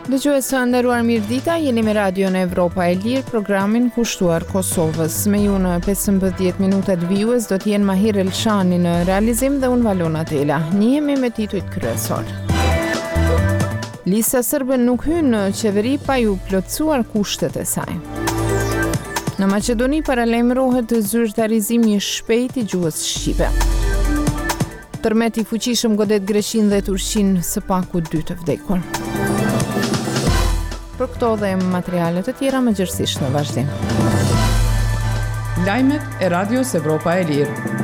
Dëgjues të nderuar mirëdita, jeni me Radion Evropa e Lirë, programin kushtuar Kosovës. Me ju në 15 minutat vijues do të jenë Mahir Elshani në realizim dhe unë Valona Tela. Njihemi me titujt kryesorë. Lista Serbe nuk hyn në qeveri pa iu plotësuar kushtet e saj. Në Maqedoni paralajmërohet zyrtarizimi i shpejtë i gjuhës shqipe. Tërmet i fuqishëm godet Greqinë dhe Turqinë së paku dy të vdekur. Për këto dhe materiale të tjera më gjerësisht në vazhdim. Lajmet e Radios Evropa e Lirë.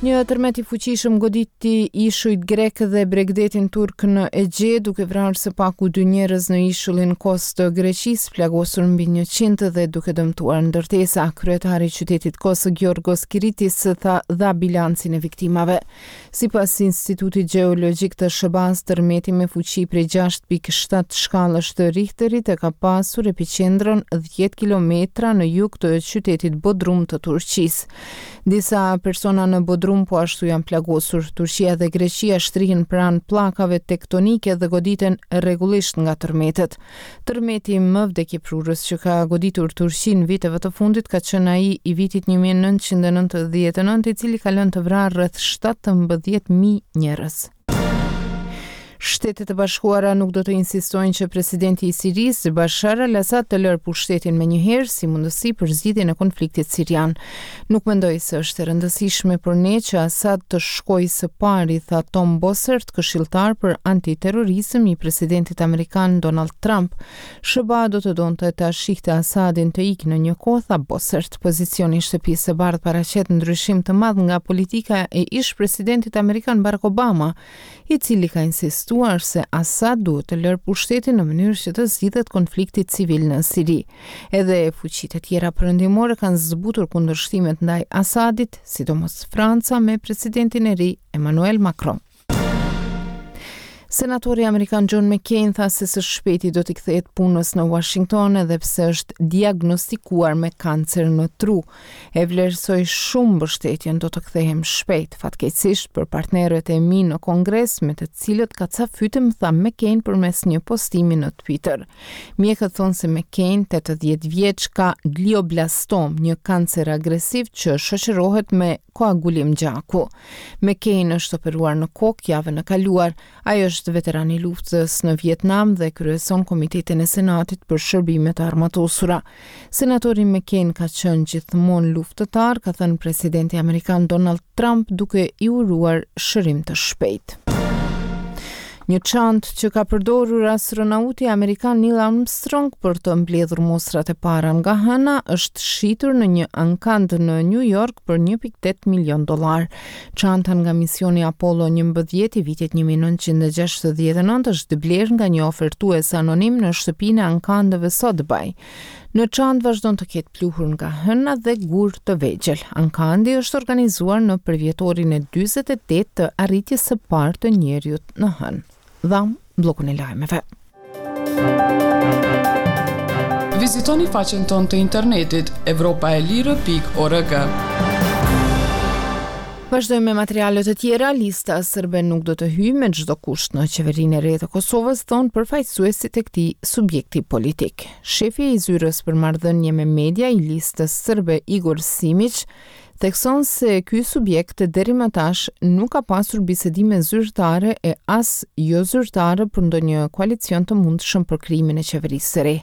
Një tërmet i fuqishëm goditi ishujt grekë dhe bregdetin turk në Egje, duke vrarë së paku dy njerëz në ishullin Kos të Greqisë, plagosur mbi 100 dhe duke dëmtuar ndërtesa. Kryetari i qytetit Kos, Giorgos Kiritis, tha dha bilancin e viktimave. Sipas Institutit Gjeologjik të SHBA-së, tërmeti me fuqi prej 6.7 shkallësh të Richterit e ka pasur epiqendrën 10 kilometra në jug të qytetit Bodrum të Turqisë. Disa persona në Bodrum po ashtu janë plagosur. Turqia dhe Greqia shtrihen pranë pllakave tektonike dhe goditen rregullisht nga tërmetet. Tërmeti më vdekjeprurës që ka goditur Turqinë viteve të fundit ka qenë ai i vitit 1999, i cili ka lënë të vrarë rreth 17.000 njerëz. Shtetet e Bashkuara nuk do të insistojnë që presidenti i Sirisë, Bashar al-Assad, të lërë pushtetin menjëherë si mundësi për zgjidhjen e konfliktit sirian. Nuk mendoj se është e rëndësishme për ne që Assad të shkojë së pari, tha Tom Bossert, këshilltar për antiterrorizëm i presidentit amerikan Donald Trump. SHBA do të donte ta shihte Assadin të ikë në një kohë, tha Bossert. Pozicioni i Shtëpisë së Bardhë paraqet ndryshim të madh nga politika e ish-presidentit amerikan Barack Obama, i cili ka insistuar se Assad duhet të lërë pushtetin në mënyrë që të zgjidhet konflikti civil në Siri. Edhe fuqitë e tjera perëndimore kanë zbutur kundërshtimet ndaj Assadit, sidomos Franca me presidentin e ri Emmanuel Macron. Senatori amerikan John McCain tha se së shpejti do t'i kthehet punës në Washington edhe pse është diagnostikuar me kancer në tru. E vlerësoj shumë mbështetjen, do të kthehem shpejt, fatkeqësisht për partnerët e mi në Kongres me të cilët kacafytem, tha McCain përmes një postimi në Twitter. Mjekët thonë se McCain, 80 vjeç, ka glioblastom, një kancer agresiv që shoqërohet me koagulim gjaku. McCain është operuar në kokë javën e kaluar. Ai është veteran i luftës në Vietnam dhe kryeson Komitetin e Senatit për Shërbime të Armatosura. Senatori McCain ka qenë gjithmonë luftëtar, ka thënë presidenti amerikan Donald Trump duke i uruar shërim të shpejtë. Një çantë që ka përdorur astronauti amerikan Neil Armstrong për të mbledhur mostrat e para nga Hëna është shitur në një ankand në New York për 1.8 milion dollarë. Çanta nga misioni Apollo 11 i vitit 1969 është blerë nga një ofertues anonim në shtëpinë e ankandeve Sotheby. Në çantë vazhdon të ketë pluhur nga hëna dhe gurë të vegjël. Ankandi është organizuar në përvjetorin e 48 të arritjes së parë të njeriut në hënë. Dhamë bllokun e lajmeve. Vizitoni faqen tonë të internetit evropaelire.org. Vazhdojmë me materiale të tjera, lista serbe nuk do të hyjë me çdo kusht në qeverinë e re të Kosovës, thonë përfaqësuesit e këtij subjekti politik. Shefi i zyrës për marrëdhënie me media i listës serbe Igor Simiq thekson se ky subjekt deri më tash nuk ka pasur bisedime zyrtare e as jozyrtare për ndonjë koalicion të mundshëm për krijimin e qeverisë së re.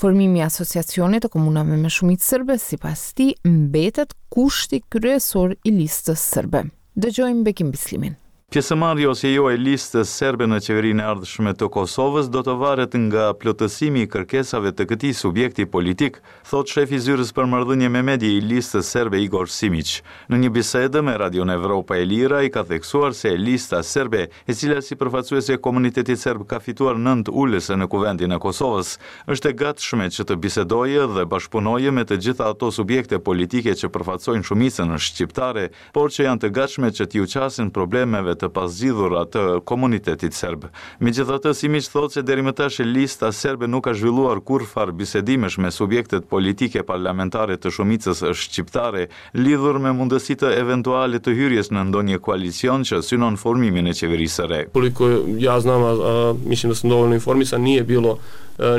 Formimi i Asociacionit të Komunave me shumicë serbe, sipas tij, mbetet kushti kryesor i Listës Serbe. Dëgjojmë Bekim Bislimin. Pjesëmarrja ose jo e Listës Serbe në qeverinë e ardhshme të Kosovës do të varet nga plotësimi i kërkesave të këtij subjekti politik, thotë shefi i zyrës për marrëdhënie me medie i Listës Serbe Igor Simiq. Në një bisedë me Radion Evropa e Lirë ai ka theksuar se Lista Serbe, e cila si përfaqësuese e komunitetit serb ka fituar nëntë ulëse në Kuvendin e Kosovës, Është e gatshme që të bisedojë dhe bashkëpunojë me të gjitha ato subjekte politike që përfaqësojnë shumicën shqiptare, por që janë të gatshme që t'iu qasen problemeve. të pazgjidhura të komunitetit serb. Megjithatë, Simiq thotë se deri më tash Lista Serbe nuk ka zhvilluar kurrfarë bisedimesh me subjektet politike parlamentare të shumicës shqiptare lidhur me mundësitë eventuale të hyrjes në ndonjë koalicion që synon formimin e qeverisë së re. Koliko ja znam, a mislim da sam dovoljno informisan, nije bilo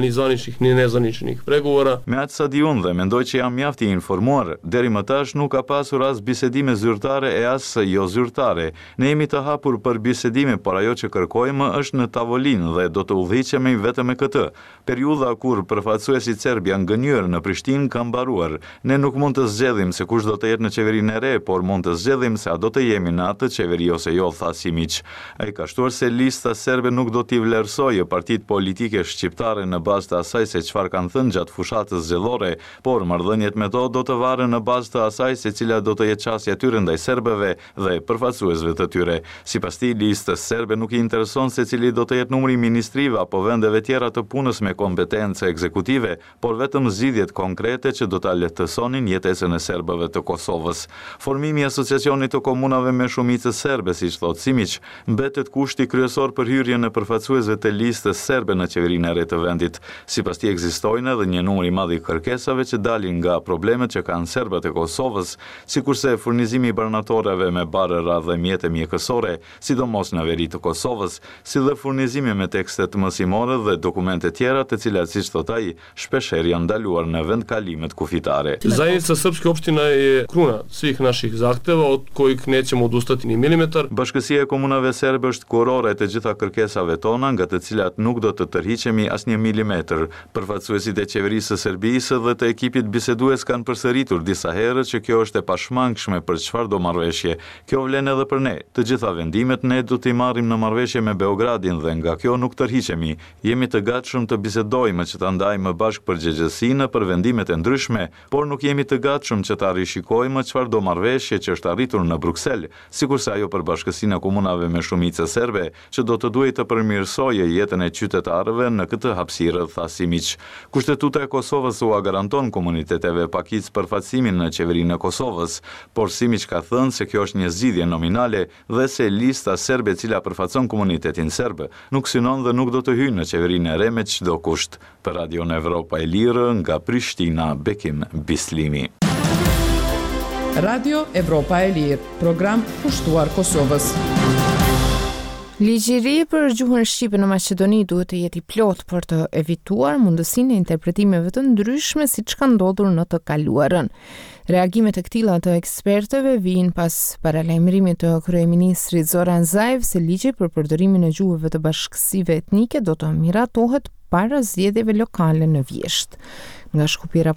ni zvaničnih ni nezvaničnih pregovora. Me aq sa di unë dhe mendoj që jam mjaft i informuar, deri më tash nuk ka pasur as bisedime zyrtare e as jozyrtare. Ne jemi të hapur për bisedime, por ajo që kërkojmë është në tavolinë dhe do të udhëhiqemi vetëm me këtë. Periudha kur përfaqësuesit serbë janë gënjyer në Prishtinë ka mbaruar. Ne nuk mund të zgjedhim se kush do të jetë në qeverinë e re, por mund të zgjedhim se a do të jemi në atë qeveri ose jo, tha Simiq. Ai ka shtuar se Lista Serbe nuk do t'i vlerësojë partitë politike shqiptare në bazë të asaj se çfarë kanë thënë gjatë fushatës zgjedhore, por marrëdhëniet me to do të varen në bazë të asaj se cila do të jetë qasja e tyre ndaj serbëve dhe përfaqësuesve të tyre. Sipas tij, Listës Serbe nuk i intereson se cili do të jetë numri i ministrive apo vendeve tjera të punës me kompetencë ekzekutive, por vetëm zgjidhjet konkrete që do ta lehtësonin jetesën e serbëve të Kosovës. Formimi i Asociacionit të Komunave me shumicë serbe, siç thotë Simiq, mbetet kushti kryesor për hyrjen e përfaqësuesve të Listës Serbe në qeverinë e re të vendit. Sipas tij ekzistojnë edhe një numër i madh i kërkesave që dalin nga problemet që kanë serbët e Kosovës, sikurse furnizimi i barnatoreve me barëra dhe mjete mjekësore, sidomos në veri të Kosovës, si dhe furnizimi me tekstet mësimore dhe dokumente tjera të cilat, siç thotë ai, shpeshherë janë ndaluar në vendkalimet kufitare. Zajednica srpskih opština je kruna svih naših zahteva od kojih nećemo odustati ni milimetar. Bashkësia e Komunave Serbe është kurora e të gjitha kërkesave tona, nga të cilat nuk do të tërhiqemi asnjë milimetër. Përfaqësuesit e Qeverisë së Serbisë dhe të ekipit bisedues kanë përsëritur disa herë që kjo është e pashmangshme për çfarëdo marrëveshje. Kjo vlen edhe për ne. Të gjitha vendimet ne do t'i marrim në marrëveshje me Beogradin dhe nga kjo nuk tërhiqemi. Jemi të gatshëm të bisedojmë që ta ndajmë bashkë përgjegjësinë për vendimet e ndryshme, por nuk jemi të gatshëm që ta rishikojmë çfarëdo marrëveshje që është arritur në Bruksel, sikurse ajo për Bashkësinë e Komunave me shumicë serbe, që do të duhej të përmirësojë jetën e qytetarëve në këtë hapësirë, tha Simiq. Kushtetuta e Kosovës ua garanton komuniteteve pakicë përfaqësimin në Qeverinë e Kosovës, por Simiq ka thënë se kjo është një zgjidhje nominale dhe se Lista Serbe e cila përfaqëson komunitetin serb, nuk synon dhe nuk do të hyjë në Qeverinë e re me çdo kusht. Për Radion Evropa e Lirë, nga Prishtina, Bekim Bislimi. Radio Evropa e Lirë, program kushtuar Kosovës. Ligji i ri për gjuhën shqipe në Maqedoni duhet të jetë i plotë për të evituar mundësinë e interpretimeve të ndryshme siç ka ndodhur në të kaluarën. Reagimet e këtilla të ekspertëve vijnë pas paralajmërimit të kryeministrit Zoran Zaev se ligji për përdorimin e gjuhëve të bashkësive etnike do të miratohet para zgjedhjeve lokale në vjeshtë. Nga Shkupi raporton.